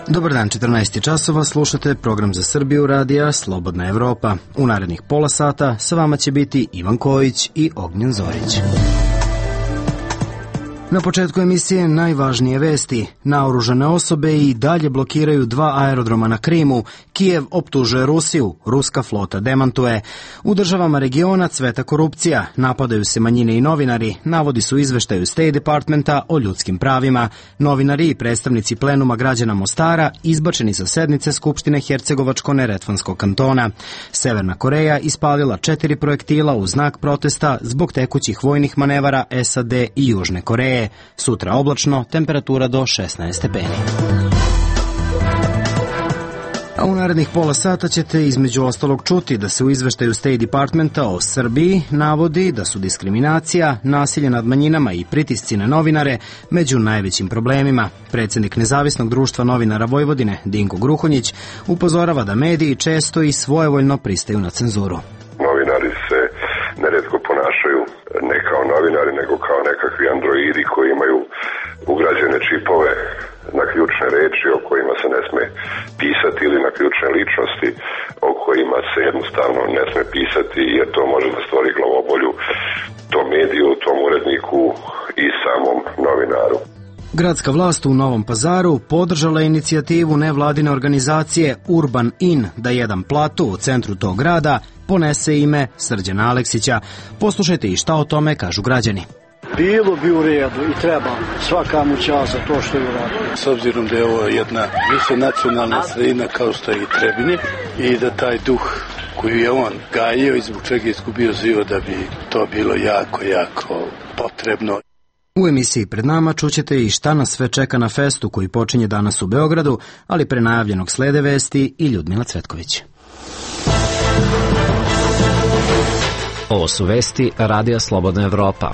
Dobar dan, 14 časova, slušate program za Srbiju radija Slobodna Evropa. U narednih pola sata sa vama će biti Ivan Kojić i Ognjen Zorić. Na početku emisije najvažnije vesti. Naoružane osobe i dalje blokiraju 2 aerodroma na Krimu. Kijev optužuje Rusiju, ruska flota demantuje. U državama regiona cveta korupcija, napadaju se manjine i novinari, navodi su izveštaju State Departmenta o ljudskim pravima. Novinari i predstavnici plenuma građana Mostara izbačeni sa sednice Skupštine Hercegovačko-Neretvanskog kantona. Severna Koreja ispalila 4 projektila u znak protesta zbog tekućih vojnih manevara SAD i Južne Koreje. Sutra oblačno, temperatura do 16 stepeni. A u narednih pola sata ćete između ostalog čuti da se u izveštaju State Departmenta o Srbiji navodi da su diskriminacija, nasilje nad manjinama i pritisci na novinare među najvećim problemima. Predsjednik Nezavisnog društva novinara Vojvodine, Dinko Gruhonjić, upozorava da mediji često i svojevoljno pristaju na cenzuru. Novinari se neretko ponašaju ne kao novinari, nego kao nekakvi androidi koji imaju ugrađene čipove na ključne reči o kojima se ne sme pisati ili na ključne ličnosti o kojima se jednostavno ne sme pisati, jer to može da stvori glavobolju tom mediju, tom uredniku i samom novinaru. Gradska vlast u Novom Pazaru podržala inicijativu nevladine organizacije Urban In da jedan platu u centru tog grada ponese ime Srđana Aleksića. Poslušajte i šta o tome kažu građani. Bilo bi u redu i treba svaka mu čast za to što je uradio. S obzirom da je ovo jedna više nacionalna sredina kao što je i Trebinje i da taj duh koji je on gajio i zbog čega je izgubio život, da bi to bilo jako, jako potrebno. U emisiji pred nama čućete i šta nas sve čeka na festu koji počinje danas u Beogradu, ali pre najavljenog slede vesti i Ljudmila Cvetković. Ovo su vesti Radija Slobodna Evropa.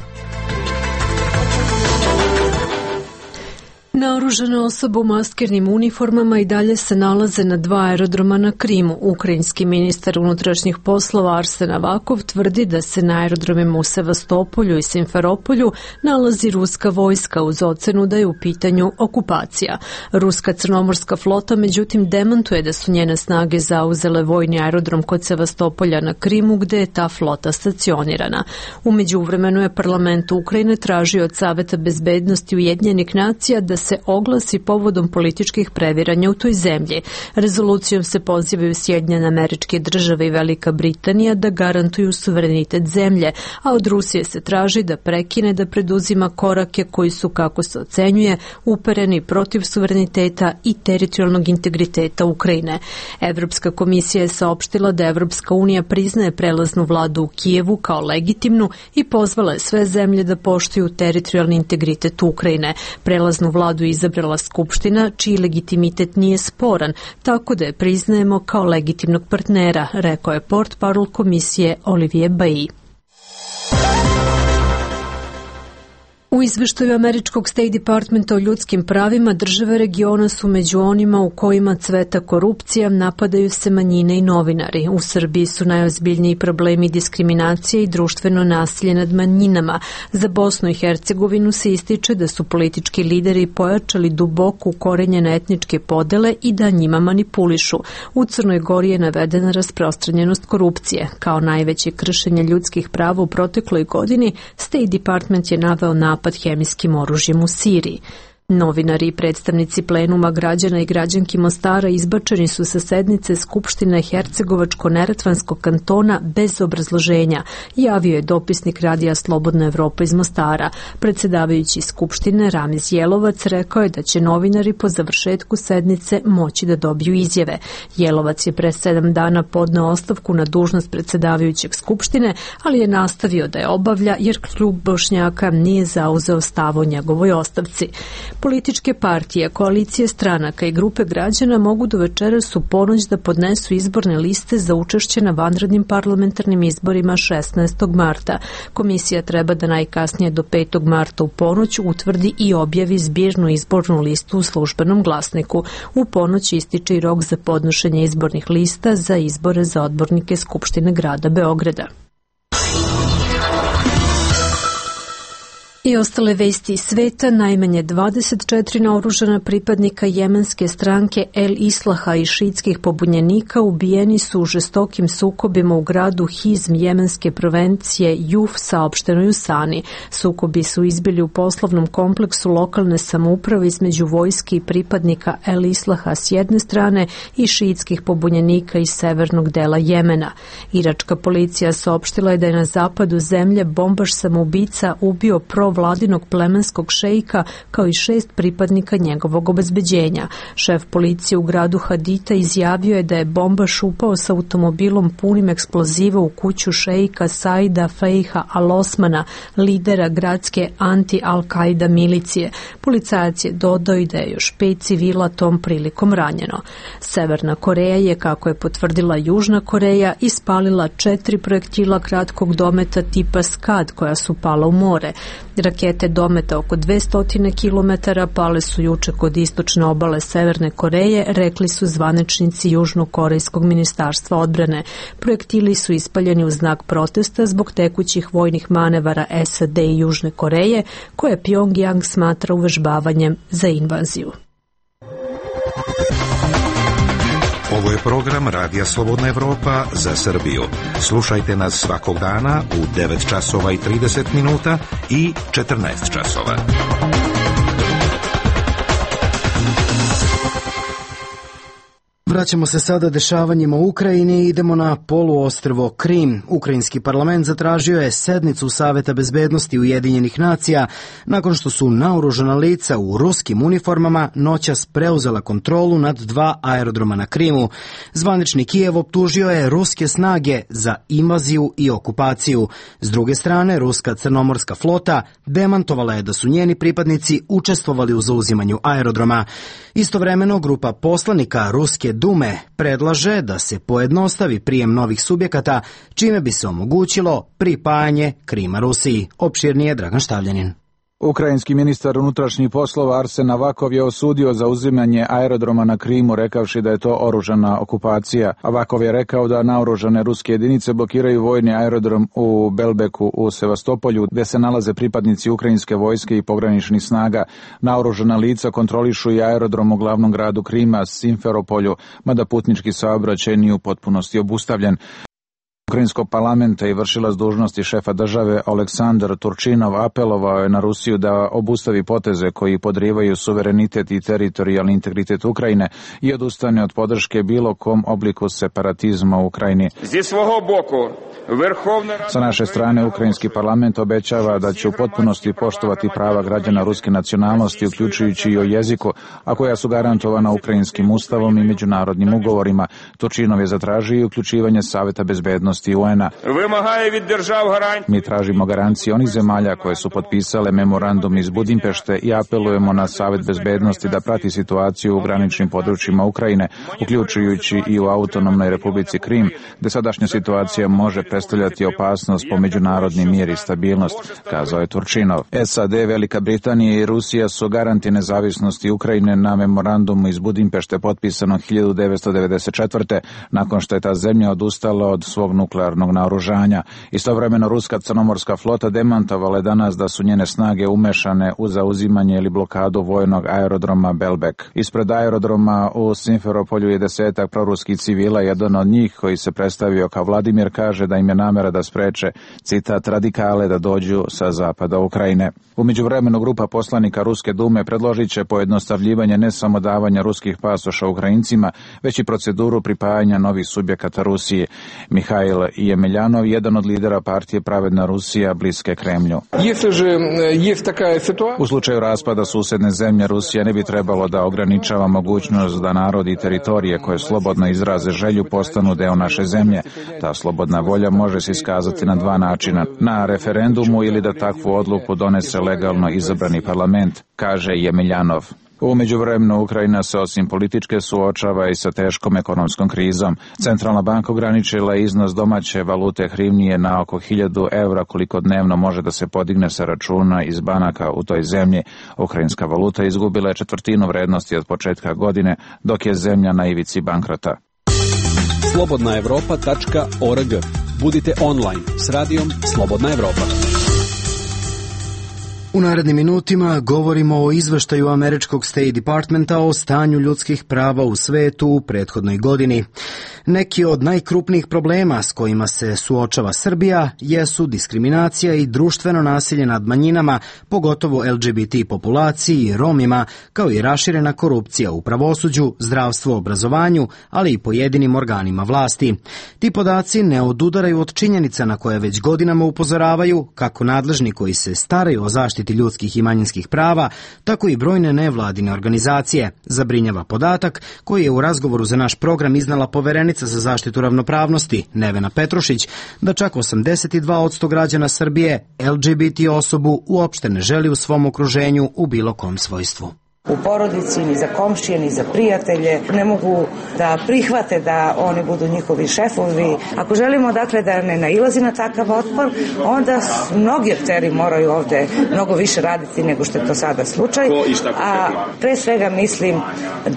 Naoružane osobe u maskirnim uniformama i dalje se nalaze na 2 aerodroma na Krimu. Ukrajinski ministar unutrašnjih poslova Arsen Avakov tvrdi da se na aerodromima u Sevastopolju i Simferopolju nalazi ruska vojska uz ocenu da je u pitanju okupacija. Ruska crnomorska flota međutim demantuje da su njene snage zauzele vojni aerodrom kod Sevastopolja na Krimu gde je ta flota stacionirana. U međuvremenu je parlament Ukrajine tražio od Saveta bezbednosti Ujedinjenih nacija da se oglasi povodom političkih previranja u toj zemlji. Rezolucijom se pozivaju Sjedinjene Američke Države i Velika Britanija da garantuju suverenitet zemlje, a od Rusije se traži da prekine da preduzima korake koji su, kako se ocenjuje, upereni protiv suvereniteta i teritorijalnog integriteta Ukrajine. Evropska komisija je saopštila da Evropska unija priznaje prelaznu vladu u Kijevu kao legitimnu i pozvala je sve zemlje da poštuju teritorijalni integritet Ukrajine. Prelaznu vladu izabrala Skupština, čiji legitimitet nije sporan, tako da je priznajemo kao legitimnog partnera, rekao je portparol komisije Olivier Bailly. U izveštaju američkog State Departmenta o ljudskim pravima države regiona su među onima u kojima cveta korupcija, napadaju se manjine i novinari. U Srbiji su najozbiljniji problemi diskriminacije i društveno nasilje nad manjinama. Za Bosnu i Hercegovinu se ističe da su politički lideri pojačali duboko ukorenjene etničke podele i da njima manipulišu. U Crnoj Gori je navedena rasprostranjenost korupcije. Kao najveće kršenje ljudskih prava u protekloj godini, State Department je naveo napad hemijskim oružjem u Siriji. Novinari i predstavnici plenuma građana i građanki Mostara izbačeni su sa sednice Skupštine Hercegovačko-Neretvanskog kantona bez obrazloženja, javio je dopisnik Radija Slobodna Evropa iz Mostara. Predsjedavajući Skupštine Ramiz Jelovac rekao je da će novinari po završetku sednice moći da dobiju izjave. Jelovac je pre 7 dana podneo ostavku na dužnost predsjedavajućeg Skupštine, ali je nastavio da je obavlja jer klub Bošnjaka nije zauzeo stav o njegovoj ostavci. Političke partije, koalicije stranaka i grupe građana mogu do večeras u ponoć da podnesu izborne liste za učešće na vanrednim parlamentarnim izborima 16. marta. Komisija treba da najkasnije do 5. marta u ponoć utvrdi i objavi zbirnu izbornu listu u službenom glasniku. U ponoć ističe i rok za podnošenje izbornih lista za izbore za odbornike Skupštine grada Beograda. I ostale vesti iz sveta, najmanje 24 naoružana pripadnika jemenske stranke El Islaha i šiitskih pobunjenika ubijeni su u žestokim sukobima u gradu Hizm jemenske provincije Juf, saopšteno je u Sani. Sukobi su izbili u poslovnom kompleksu lokalne samouprave između vojske i pripadnika El Islaha s jedne strane i šiitskih pobunjenika iz severnog dela Jemena. Iračka policija saopštila je da je na zapadu zemlje bombaš samoubica ubio vladinog plemenskog šejka kao i 6 pripadnika njegovog obezbeđenja. Šef policije u gradu Hadita izjavio je da je bombaš upao sa automobilom punim eksploziva u kuću šejka Saida Fejha Al-Osmana, lidera gradske anti-Al-Qaida milicije. Policajac je dodao i da je još 5 civila tom prilikom ranjeno. Severna Koreja je, kako je potvrdila Južna Koreja, ispalila 4 projektila kratkog dometa tipa Skad koja su pala u more. Rakete dometa oko 200 km pale su juče kod istočne obale Severne Koreje, rekli su zvaničnici Južnokorejskog ministarstva odbrane. Projektili su ispaljeni u znak protesta zbog tekućih vojnih manevara SAD i Južne Koreje, koje Pyongyang smatra uvežbavanjem za invaziju. Ovo je program Radija Slobodna Evropa za Srbiju. Slušajte nas svakog dana u 9 časova i 30 minuta i 14 časova. Vraćamo se sada dešavanjima u Ukrajini i idemo na poluostrvo Krim. Ukrajinski parlament zatražio je sednicu Saveta bezbednosti Ujedinjenih nacija nakon što su naoružana lica u ruskim uniformama noćas preuzela kontrolu nad 2 aerodroma na Krimu. Zvanični Kijev optužio je ruske snage za invaziju i okupaciju. S druge strane, ruska crnomorska flota demantovala je da su njeni pripadnici učestvovali u zauzimanju aerodroma. Istovremeno, grupa poslanika Ruske Dume predlaže da se pojednostavi prijem novih subjekata, čime bi se omogućilo pripajanje Krima Rusiji. Opširnije Dragan Štavljanin. Ukrajinski ministar unutrašnjih poslova Arsen Avakov je osudio zauzimanje aerodroma na Krimu, rekavši da je to oružana okupacija. Avakov je rekao da naoružane ruske jedinice blokiraju vojni aerodrom u Belbeku u Sevastopolju, gde se nalaze pripadnici ukrajinske vojske i pograničnih snaga. Naoružana lica kontrolišu i aerodrom u glavnom gradu Krima, Simferopolju, mada putnički saobraćaj nije u potpunosti obustavljen. Ukrajinskog parlamenta i vršilac dužnosti šefa države Oleksandar Turčinov apelovao je na Rusiju da obustavi poteze koji podrivaju suverenitet i teritorijalni integritet Ukrajine i odustane od podrške bilo kom obliku separatizma u Ukrajini. Sa naše strane, Ukrajinski parlament obećava da će u potpunosti poštovati prava građana ruske nacionalnosti, uključujući i o jeziku, a koja su garantovana Ukrajinskim ustavom i međunarodnim ugovorima. Turčinov je zatražio i uključivanje Saveta bezbednosti UN-a. Mi tražimo garancije onih zemalja koje su potpisale memorandum iz Budimpešte i apelujemo na Savet bezbednosti da prati situaciju u graničnim područjima Ukrajine, uključujući i u autonomnoj Republici Krim, gde sadašnja situacija može predstavljati opasnost po međunarodni mir i stabilnost, kazao je Turčinov. SAD, Velika Britanija i Rusija su garanti nezavisnosti Ukrajine na memorandumu iz Budimpešte potpisanog 1994. nakon što je ta zemlja odustala od svog nuklearnog naoružanja. Istovremeno, ruska crnomorska flota demantovala je danas da su njene snage umešane u zauzimanje ili blokadu vojnog aerodroma Belbek. Ispred aerodroma u Simferopolju je 10 proruskih civila. Jedan od njih, koji se predstavio kao Vladimir, kaže da im je namera da spreče, citat, radikale da dođu sa zapada Ukrajine. U međuvremenu, grupa poslanika Ruske Dume predložit će pojednostavljivanje ne samo davanja ruskih pasoša Ukrajincima, već i proceduru pripajanja novih subjekata Rusiji. Mihail Jemeljanov, jedan od lidera partije Pravedna Rusija, bliske Kremlju. U slučaju raspada susedne zemlje, Rusija ne bi trebalo da ograničava mogućnost da narodi i teritorije koje slobodno izraze želju postanu deo naše zemlje. Ta slobodna volja može se iskazati na 2 načina: na referendumu ili da takvu odluku donese legalno izabrani parlament, kaže Jemeljanov. U međuvremenu, Ukrajina se osim političke suočava i sa teškom ekonomskom krizom. Centralna banka ograničila iznos domaće valute hrivnije na oko 1000 evra, koliko dnevno može da se podigne sa računa iz banaka u toj zemlji. Ukrajinska valuta izgubila je 1/4 vrednosti od početka godine, dok je zemlja na ivici bankrota. slobodnaevropa.org. Budite online s radijom Slobodna Evropa. U narednim minutima govorimo o izveštaju američkog State Departmenta o stanju ljudskih prava u svetu u prethodnoj godini. Neki od najkrupnijih problema s kojima se suočava Srbija jesu diskriminacija i društveno nasilje nad manjinama, pogotovo LGBT populaciji i Romima, kao i raširena korupcija u pravosuđu, zdravstvu, obrazovanju, ali i pojedinim organima vlasti. Ti podaci ne odudaraju od činjenica na koje već godinama upozoravaju kako nadležni koji se staraju o zaštiti ljudskih i manjinskih prava, tako i brojne nevladine organizacije. Zabrinjava podatak koji je u razgovoru za naš program iznala poverenica za zaštitu ravnopravnosti Nevena Petrušić, da čak 82% građana Srbije LGBT osobu uopšte ne želi u svom okruženju u bilo kom svojstvu. U porodici, ni za komšije, ni za prijatelje. Ne mogu da prihvate da oni budu njihovi šefovi. Ako želimo, dakle, da ne nailazi na takav otpor, onda mnogi akteri moraju ovde mnogo više raditi nego što je to sada slučaj. A pre svega mislim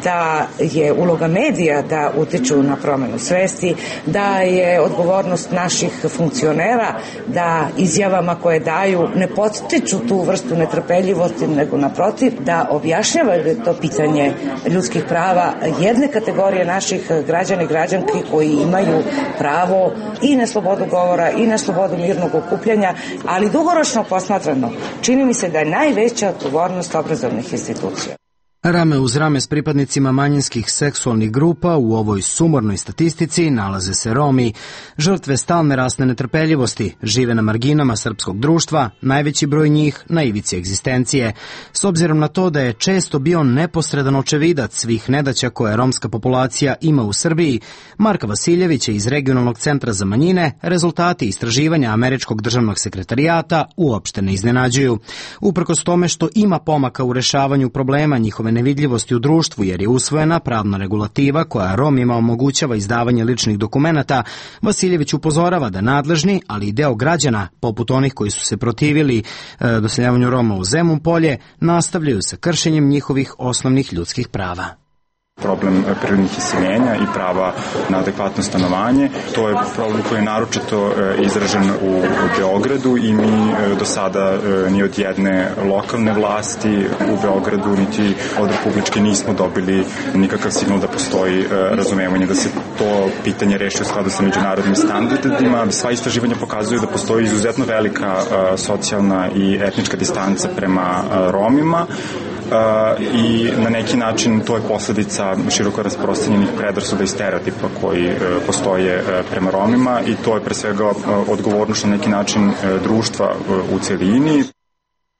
da je uloga medija da utiču na promenu svesti, da je odgovornost naših funkcionera da izjavama koje daju ne podstiču tu vrstu netrpeljivosti, nego naprotiv, da objašnjavaju to pitanje ljudskih prava jedne kategorije naših građana i građanki koji imaju pravo i na slobodu govora i na slobodu mirnog okupljanja, ali dugoročno posmatrano čini mi se da je najveća odgovornost obrazovnih institucija. Rame uz rame s pripadnicima manjinskih seksualnih grupa u ovoj sumornoj statistici nalaze se Romi, žrtve stalne rasne netrpeljivosti, žive na marginama srpskog društva, najveći broj njih na ivici egzistencije. S obzirom na to da je često bio neposredan očevidac svih nedaća koje romska populacija ima u Srbiji, Marka Vasiljevića iz Regionalnog centra za manjine, rezultati istraživanja Američkog državnog sekretarijata uopšte ne iznenađuju. Uprkos tome što ima pomaka u rešavanju problema njihove nevidljivosti u društvu jer je usvojena pravna regulativa koja Romima omogućava izdavanje ličnih dokumenata, Vasiljević upozorava da nadležni, ali i deo građana, poput onih koji su se protivili doseljavanju Roma u Zemun Polje, nastavljaju sa kršenjem njihovih osnovnih ljudskih prava. Problem prirodnih iseljenja i prava na adekvatno stanovanje. To je problem koji je naročito izražen u Beogradu i mi do sada ni od jedne lokalne vlasti u Beogradu niti od republičke nismo dobili nikakav signal da postoji razumevanje da se to pitanje reši u skladu sa međunarodnim standardima. Sva istraživanja pokazuju da postoji izuzetno velika socijalna i etnička distanca prema Romima, i na neki način to je posledica široko rasprostranjenih predrasuda i stereotipa koji postoje prema Romima i to je pre svega odgovornost na neki način društva u celini.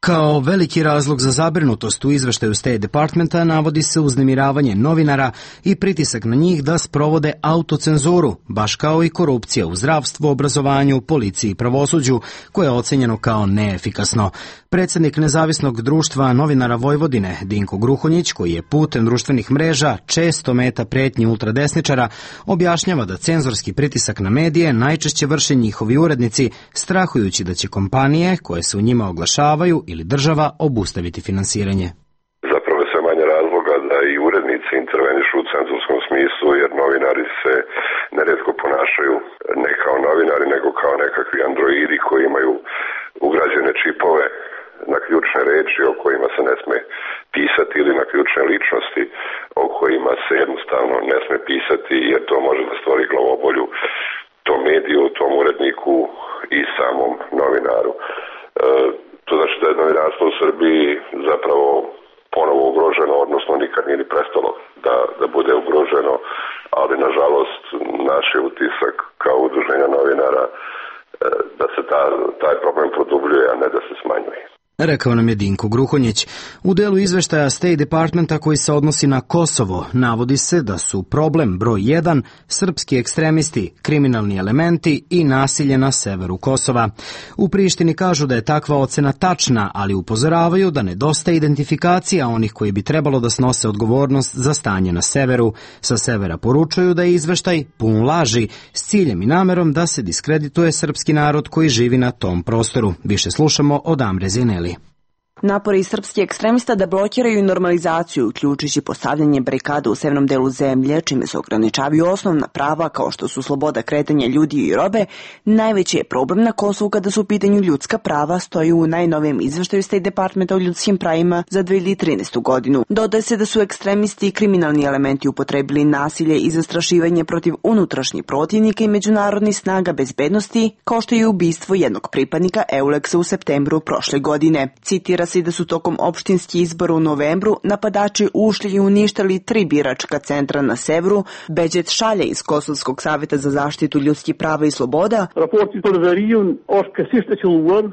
Kao veliki razlog za zabrinutost u izveštaju State Departmenta navodi se uznemiravanje novinara i pritisak na njih da sprovode autocenzuru, baš kao i korupcija u zdravstvu, obrazovanju, policiji i pravosuđu, koje je ocenjeno kao neefikasno. Predsjednik Nezavisnog društva novinara Vojvodine, Dinko Gruhonjić, koji je putem društvenih mreža često meta pretnji ultradesničara, objašnjava da cenzorski pritisak na medije najčešće vrše njihovi urednici, strahujući da će kompanije koje se u njima oglašavaju ili država obustaviti finansiranje. Zapravo je sve manje razloga da i urednici intervenišu u cenzorskom smislu, jer novinari se neretko ponašaju ne kao novinari, nego kao nekakvi androidi koji imaju ugrađene čipove na ključne reči o kojima se ne sme pisati ili na ključne ličnosti o kojima se jednostavno ne sme pisati, jer to može da stvori glavobolju tom mediju, tom uredniku i samom novinaru. To znači da je novinarstvo u Srbiji zapravo ponovo ugroženo, odnosno nikad nije ni prestalo da bude ugroženo, ali nažalost naš je utisak kao udruženja novinara da se taj problem produbljuje, a ne da se smanjuje. Rekao nam je Dinko Gruhonjić. U delu izveštaja State Departmenta koji se odnosi na Kosovo navodi se da su problem broj 1 srpski ekstremisti, kriminalni elementi i nasilje na severu Kosova. U Prištini kažu da je takva ocena tačna, ali upozoravaju da nedostaje identifikacija onih koji bi trebalo da snose odgovornost za stanje na severu. Sa severa poručuju da je izveštaj pun laži s ciljem i namerom da se diskredituje srpski narod koji živi na tom prostoru. Više slušamo od Amre Zineli. Napori srpskih ekstremista da blokiraju normalizaciju, uključujući postavljanje barikada u severnom delu zemlje, čime se ograničavaju osnovna prava kao što su sloboda kretanja ljudi i robe, najveći je problem na Kosovu kada su u pitanju ljudska prava, stoji u najnovijem izveštaju State Departmenta o ljudskim pravima za 2013. godinu. Dodaje se da su ekstremisti i kriminalni elementi upotrebili nasilje i zastrašivanje protiv unutrašnjih protivnika i međunarodnih snaga bezbednosti, kao što je ubistvo jednog pripadnika EULEX-a u septembru prošle godine. Citira se da su tokom opštinskih izbora u novembru napadači ušli i uništili 3 biračka centra na severu. Beđet Šalja iz Kosovskog saveta za zaštitu ljudskih prava i sloboda.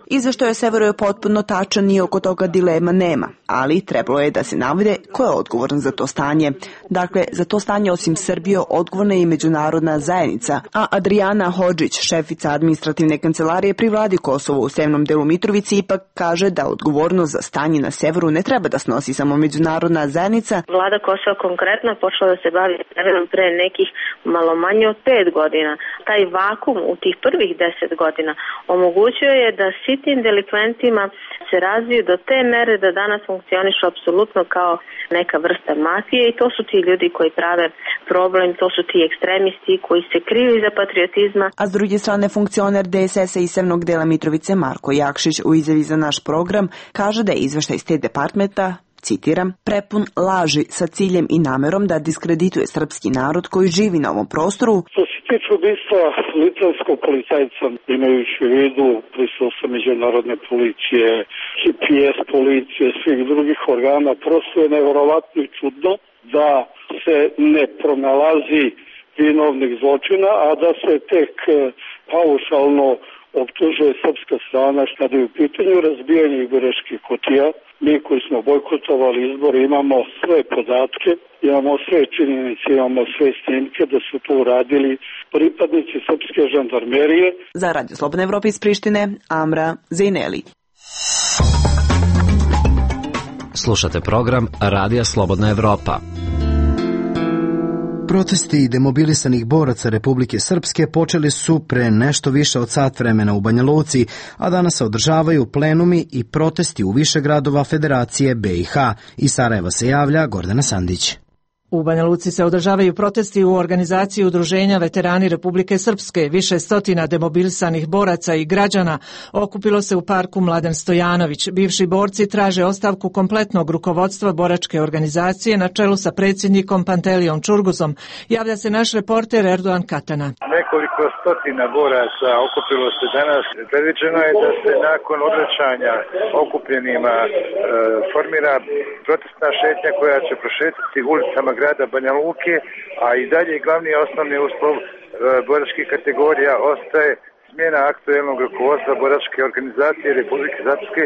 Izveštaj severu je potpuno tačan i oko toga dilema nema, ali trebalo je da se navede ko je odgovoran za to stanje. Dakle, za to stanje osim Srbije odgovorna je i međunarodna zajednica, a Adriana Hodžić, šefica administrativne kancelarije pri vladi Kosova u severnom delu Mitrovice, ipak kaže da odgovornost za stanje na severu ne treba da snosi samo međunarodna zajednica. Vlada Kosova konkretno počela da se bavi severom pre nekih malo manje od 5 godina. Taj vakum u tih prvih 10 godina omogućio je da sitnim delikventima se razviju do te mere da danas funkcionišu apsolutno kao neka vrsta mafije i to su ti ljudi koji prave problem, to su ti ekstremisti koji se kriju iza patriotizma. A s druge strane funkcioner DSS-a iz severnog dela Mitrovice Marko Jakšić u izjavi za naš program kaže da je izveštaj State Departmenta, citiram, prepun laži sa ciljem i namerom da diskredituje srpski narod koji živi na ovom prostoru. Što se tiče ubistva litvanskog policajca, imajući u vidu prisustvo međunarodne policije, GPS policije, svih drugih organa, prosto je neverovatno i čudno da se ne pronalazi vinovnih zločina, a da se tek paušalno optužuje srpska strana kada je u pitanju razbijanje biračkih kutija. Mi koji smo bojkotovali izbore imamo sve podatke, imamo sve činjenice, imamo sve snimke da su to uradili pripadnici srpske žandarmerije. Za Radio Slobodna Evropa iz Prištine, Amra Zejneli. Slušate program Radija Slobodna Evropa. Protesti demobilisanih boraca Republike Srpske počeli su pre nešto više od sat vremena u Banja Luci, a danas se održavaju plenumi i protesti u više gradova Federacije BiH. Iz Sarajeva se javlja Gordana Sandić. U Banja Luci se održavaju protesti u organizaciji Udruženja Veterani Republike Srpske. Više stotina demobilisanih boraca i građana okupilo se u parku Mladen Stojanović. Bivši borci traže ostavku kompletnog rukovodstva boračke organizacije na čelu sa predsjednikom Pantelijom Čurguzom. Javlja se naš reporter Erdogan Katana. Nekoliko stotina boraca okupilo se danas. Predviđeno je da se nakon odvraćanja okupljenima formira protestna šetnja koja će prošetati ulicama grada Banja Luke, a i dalje glavni osnovni uslov boračkih kategorija ostaje smjena aktuelnog rukovodstva boračke organizacije Republike Srpske.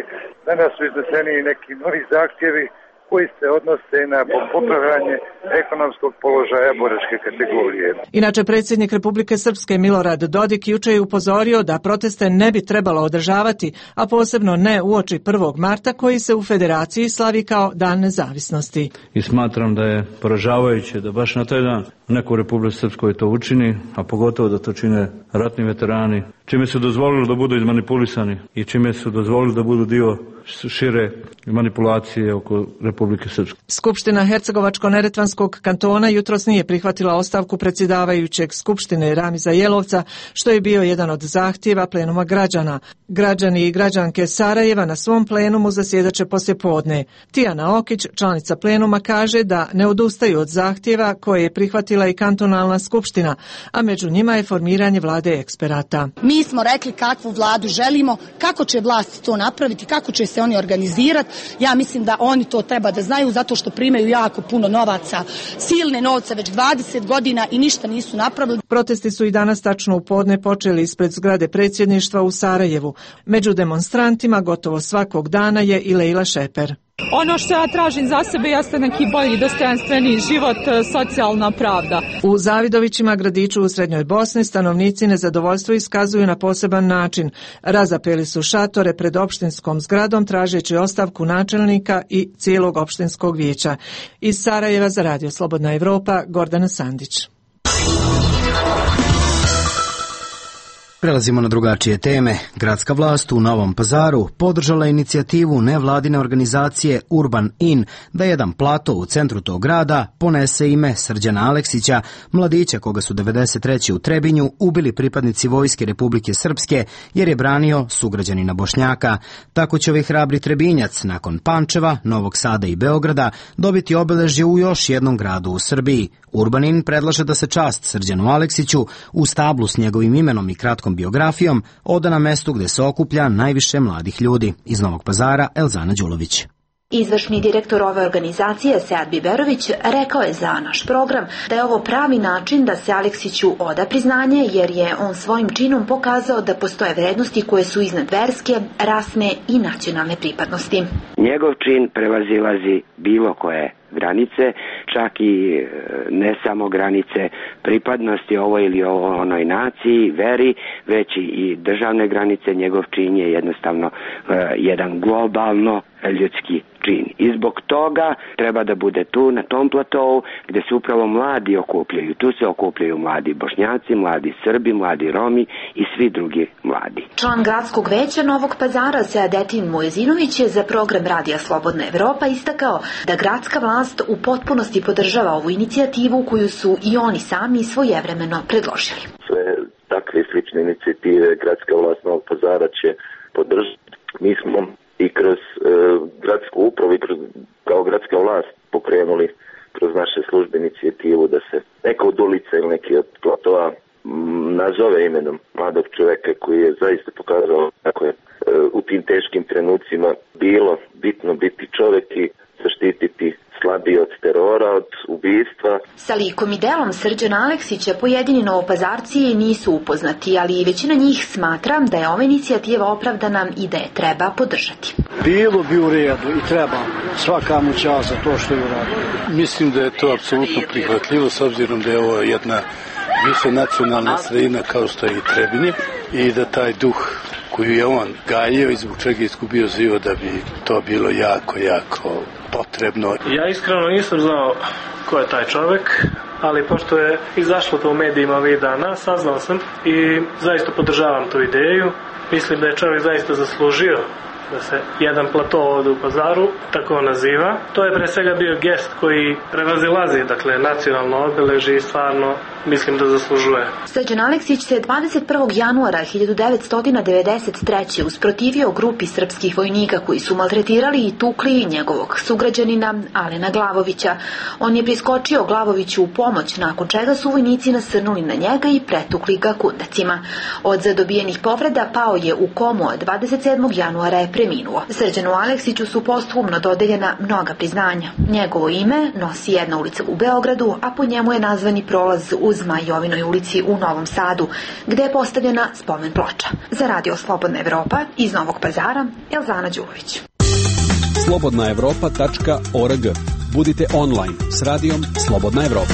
Danas su izneseni neki novi zahtjevi koji se odnose na popravljanje ekonomskog položaja boračke kategorije. Inače, predsjednik Republike Srpske Milorad Dodik juče je upozorio da proteste ne bi trebalo održavati, a posebno ne uoči 1. marta koji se u Federaciji slavi kao Dan nezavisnosti. I smatram da je poražavajuće da baš na taj dan neko u Republici Srpskoj to učini, a pogotovo da to čine ratni veterani, čime su dozvolili da budu izmanipulisani i čime su dozvolili da budu dio šire manipulacije oko Republike Srpske. Skupština Hercegovačko-Neretvanskog kantona jutros nije prihvatila ostavku predsjedavajućeg Skupštine Ramiza Jelovca, što je bio jedan od zahtjeva plenuma građana. Građani i građanke Sarajeva na svom plenumu zasjedaće poslijepodne. Tijana Okić, članica plenuma, kaže da ne odustaju od zahtjeva koje je prihvatila i kantonalna skupština, a među njima je formiranje vlade eksperata. Mi smo rekli kakvu vladu želimo, kako će vlast to napraviti, kako će se oni organizirati. Ja mislim da oni to treba da znaju zato što primaju jako puno novaca, silne novce već 20 godina i ništa nisu napravili. Protesti su i danas tačno u podne počeli ispred zgrade predsjedništva u Sarajevu. Među demonstrantima gotovo svakog dana je i Lejla Šeper. Ono što ja tražim za sebe jeste neki bolji, dostojanstveniji život, socijalna pravda. U Zavidovićima, gradiću u Srednjoj Bosni, stanovnici nezadovoljstvo iskazuju na poseban način. Razapeli su šatore pred opštinskom zgradom tražeći ostavku načelnika i cijelog opštinskog vijeća. Iz Sarajeva za Radio Slobodna Evropa, Gordana Sandić. Prelazimo na drugačije teme. Gradska vlast u Novom Pazaru podržala inicijativu nevladine organizacije Urban In da jedan plato u centru tog grada ponese ime Srđana Aleksića, mladića koga su 93. u Trebinju ubili pripadnici Vojske Republike Srpske jer je branio sugrađanina Bošnjaka. Tako će ovaj hrabri Trebinjac nakon Pančeva, Novog Sada i Beograda dobiti obeležje u još jednom gradu u Srbiji. Urbanin predlaže da se čast Srđanu Aleksiću u stablu s njegovim imenom i kratkom biografijom oda na mestu gde se okuplja najviše mladih ljudi. Iz Novog Pazara, Elzana Đulović. Izvršni direktor ove organizacije, Sead Biberović, rekao je za naš program da je ovo pravi način da se Aleksiću oda priznanje, jer je on svojim činom pokazao da postoje vrednosti koje su iznad verske, rasne i nacionalne pripadnosti. Njegov čin prevazilazi bilo koje granice, čak i ne samo granice pripadnosti ovoj ili onoj naciji, veri, već i državne granice. Njegov čin je jednostavno jedan globalno ljudski čin. I zbog toga treba da bude tu, na tom platovu, gde se upravo mladi okupljaju. Tu se okupljaju mladi Bošnjaci, mladi Srbi, mladi Romi i svi drugi mladi. Član gradskog veća Novog Pazara, Seadetin Mujezinović, je za program Radija Slobodna Evropa istakao da gradska vlast u potpunosti podržava ovu inicijativu koju su i oni sami svojevremeno predložili. Sve takve slične inicijative gradska vlast Novog Pazara će podržati. Mi smo i kroz gradsku upravu i kao gradska vlast pokrenuli kroz naše službe inicijativu da se neka od ulica ili neki od platoa nazove imenom mladog čoveka koji je zaista pokazao kako je u tim teškim trenucima bilo bitno biti čovek i zaštititi slabiji od terora, od ubistva. Sa likom i delom Srđana Aleksića pojedini novopazarci nisu upoznati, ali većina njih smatra da je ova inicijativa opravdana i da je treba podržati. Bilo bi u redu i treba svaka mu čast za to što je uradio. Mislim da je to apsolutno prihvatljivo s obzirom da je ovo jedna više nacionalna sredina kao što je i Trebinje i da taj duh koju je on gajio i zbog čega je izgubio život da bi to bilo jako potrebno. Ja iskreno nisam znao ko je taj čovjek, ali pošto je izašlo to u medijima ovih dana, saznao sam i zaista podržavam tu ideju. Mislim da je čovjek zaista zaslužio da se jedan plato ovdje u Pazaru tako naziva. To je pre svega bio gest koji prevazilazi, dakle, nacionalno obeležje i stvarno mislim da zaslužuje. Srđan Aleksić se 21. januara 1993. usprotivio grupi srpskih vojnika koji su maltretirali i tukli njegovog sugrađanina Alena Glavovića. On je priskočio Glavoviću u pomoć, nakon čega su vojnici nasrnuli na njega i pretukli ga kundacima. Od zadobijenih povreda pao je u komu, a 27. januara je preminuo. Srđanu Aleksiću su posthumno dodeljena mnoga priznanja. Njegovo ime nosi jedna ulica u Beogradu, a po njemu je nazvani prolaz uz Majovinoj ulici u Novom Sadu, gde je postavljena spomen ploča. Za Radio Slobodna Evropa iz Novog Pazara, Elzana Đulović. slobodnaevropa.org. Budite online s radijom Slobodna Evropa.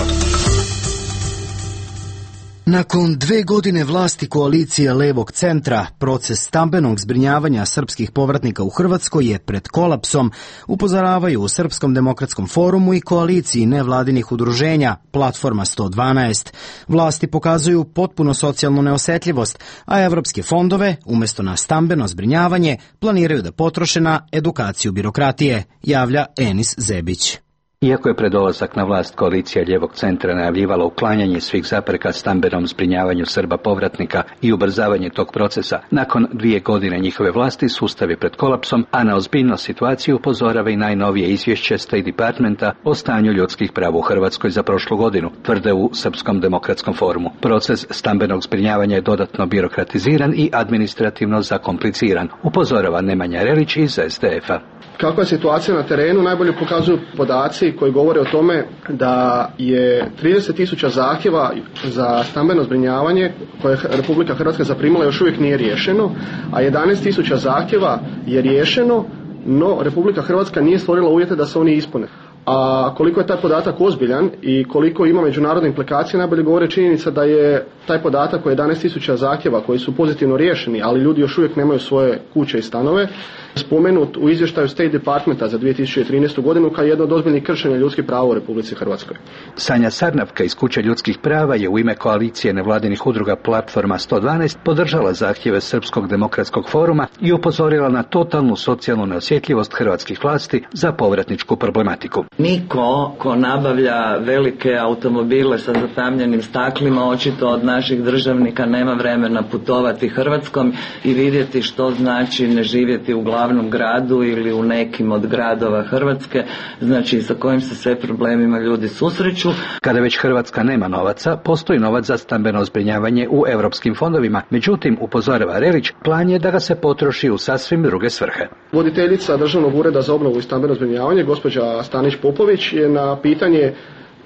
Nakon 2 godine vlasti koalicije Levog centra, proces stambenog zbrinjavanja srpskih povratnika u Hrvatskoj je pred kolapsom, upozoravaju u Srpskom demokratskom forumu i koaliciji nevladinih udruženja Platforma 112. Vlasti pokazuju potpuno socijalnu neosetljivost, a evropske fondove, umjesto na stambeno zbrinjavanje, planiraju da potroše na edukaciju birokratije, javlja Enis Zebić. Iako je pred dolazak na vlast koalicija Ljevog centra najavljivala uklanjanje svih zapreka stambenom zbrinjavanju Srba povratnika i ubrzavanje tog procesa, nakon 2 godine njihove vlasti sustav je pred kolapsom, a na ozbiljnost situaciju upozorava i najnovije izvješće State Departmenta o stanju ljudskih prava u Hrvatskoj za prošlu godinu, tvrde u Srpskom demokratskom forumu. Proces stambenog zbrinjavanja je dodatno birokratiziran i administrativno zakompliciran, upozorava Nemanja Relić iz SDF-a. Kakva je situacija na terenu najbolje pokazuju podaci koji govore o tome da je 30.000 zahtjeva za stambeno zbrinjavanje koje Republika Hrvatska zaprimila još uvijek nije riješeno, a 11.000 zahtjeva je riješeno, no Republika Hrvatska nije stvorila uvjete da se oni ispune. A koliko je taj podatak ozbiljan i koliko ima međunarodne implikacije najbolje govore činjenica da je taj podatak o 11.000 zahtjeva koji su pozitivno riješeni, ali ljudi još uvijek nemaju svoje kuće i stanove, spomenut u izvještaju State Departmenta za 2013. godinu kao jedno od ozbiljnih kršenja ljudskih prava u Republici Hrvatskoj. Sanja Sarnavka iz Kuće ljudskih prava je u ime koalicije nevladinih udruga Platforma 112 podržala zahtjeve Srpskog demokratskog foruma i upozorila na totalnu socijalnu neosjetljivost hrvatskih vlasti za povratničku problematiku. Niko ko nabavlja velike automobile sa zatamljenim staklima očito od naših državnika nema vremena putovati Hrvatskom i vidjeti što znači ne živjeti u glavnom gradu ili u nekim od gradova Hrvatske, znači sa kojim se sve problemima ljudi susreću. Kada već Hrvatska nema novaca, postoji novac za stambeno zbrinjavanje u europskim fondovima. Međutim, upozorava Relić, plan je da ga se potroši u sasvim druge svrhe. Voditeljica Državnog ureda za obnovu i stambeno zbrinjavanje, gospođa Stanić Popović, je na pitanje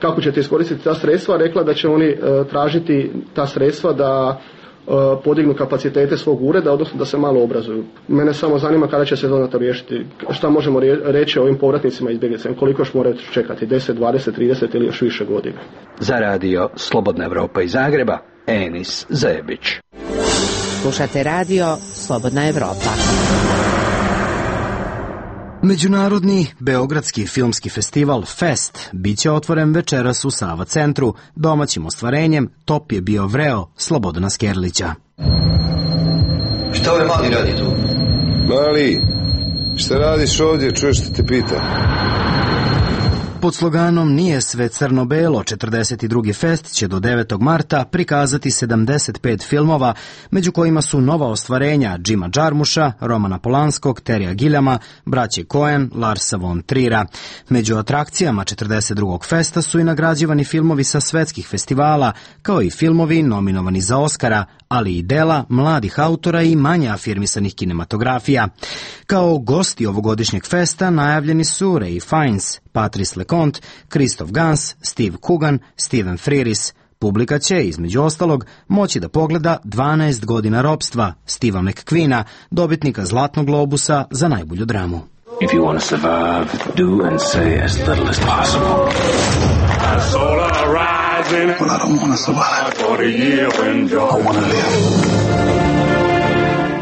kako ćete iskoristiti ta sredstva rekla da će oni tražiti ta sredstva da podignu kapacitete svog ureda, odnosno da se malo obrazuju. Mene samo zanima kada će se to riješiti. Šta možemo reći o ovim povratnicima izbjeglicama? Koliko još moraju čekati? 10, 20, 30 ili još više godina? Za radio Slobodna Evropa iz Zagreba, Enis Zajebić. Slušate radio Slobodna Evropa. Međunarodni Beogradski filmski festival Fest biće otvoren večeras u Sava centru. Domaćim ostvarenjem top je bio Vreo Slobodana Skerlića. Šta ovaj mali radi tu? Mali, šta radiš ovdje, čuješ što te pita? Pod sloganom Nije sve crno-belo, 42. fest će do 9. marta prikazati 75 filmova, među kojima su nova ostvarenja Jima Jarmusha, Romana Polanskog, Terija Giljama, braće Coen, Larsa von Trira. Među atrakcijama 42. festa su i nagrađivani filmovi sa svetskih festivala, kao i filmovi nominovani za Oskara, ali i dela mladih autora i manje afirmisanih kinematografija. Kao gosti ovogodišnjeg festa najavljeni su Ray Fiennes, Patrice LeConte, Christoph Gans, Steve Coogan, Steven Frears. Publika će, između ostalog, moći da pogleda 12 godina ropstva Steva McQueena, dobitnika Zlatnog globusa za najbolju dramu. If you want to survive, do and say as little as possible. Well, I don't want to survive. I want to live.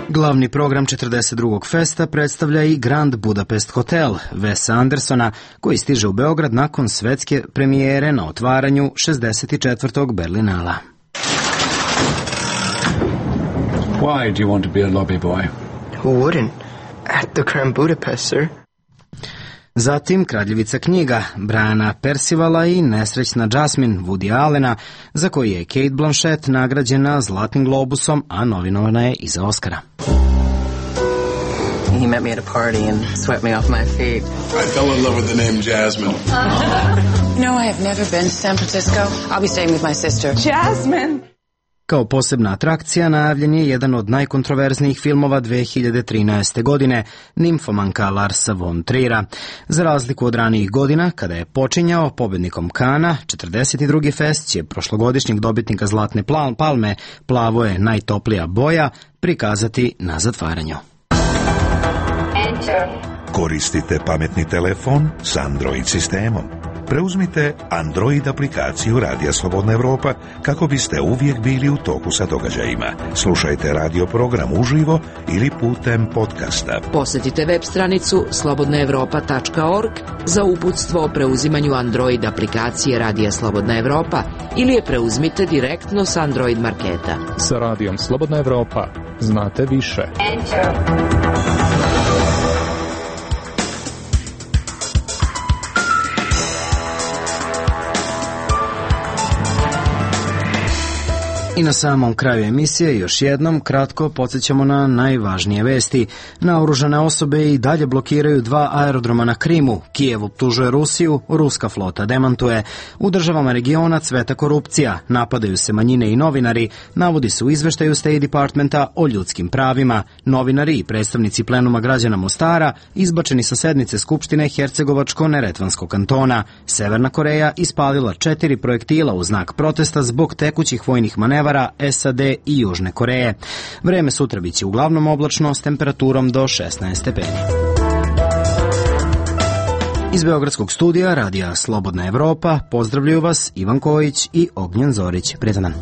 Glavni program 42. festa predstavlja i Grand Budapest Hotel Wesa Andersona, koji stiže u Beograd nakon svetske premijere na otvaranju 64. Berlinala. Why do you want to be a lobby boy? Who wouldn't? At the Grand Budapest, sir. Zatim Kraljevica knjiga Briana Percivala i Nesrećna Jasmine Woody Allena, za koji je Kate Blanchett nagrađena Zlatnim globusom, a novinovana je i za Oscara. He met me at a party and swept me off my feet. I fell in love with the name Jasmine. You know, I have never been to San Francisco. I'll be staying with my sister. Jasmine! Kao posebna atrakcija najavljen je jedan od najkontroverznijih filmova 2013. godine, Nimfomanka Larsa von Trira. Za razliku od ranijih godina, kada je počinjao pobednikom Kana, 42. fest će prošlogodišnjeg dobitnika Zlatne palme, Plavo je najtoplija boja, prikazati na zatvaranju. Koristite pametni telefon s Android sistemom. Preuzmite Android aplikaciju Radija Slobodna Evropa kako biste uvijek bili u toku sa događajima. Slušajte radio program uživo ili putem podcasta. Posjetite web stranicu slobodnaevropa.org za uputstvo o preuzimanju Android aplikacije Radija Slobodna Evropa ili je preuzmite direktno s Android marketa. Sa Radijom Slobodna Evropa znate više. I na samom kraju emisije još jednom kratko podsjećamo na najvažnije vesti. Naoružane osobe i dalje blokiraju 2 aerodroma na Krimu. Kijev optužuje Rusiju, ruska flota demantuje. U državama regiona cveta korupcija, napadaju se manjine i novinari, navodi se u izveštaju State Departmenta o ljudskim pravima. Novinari i predstavnici plenuma građana Mostara izbačeni sa sednice Skupštine Hercegovačko-Neretvanskog kantona. Severna Koreja ispalila 4 projektila u znak protesta zbog tekućih vojnih manevara SAD i Južne Koreje. Vreme sutra biće uglavnom oblačno s temperaturom do 16 stepeni. Iz Beogradskog studija Radija Slobodna Evropa pozdravljaju vas Ivan Kojić i Ognjen Zorić. Prijetan dan.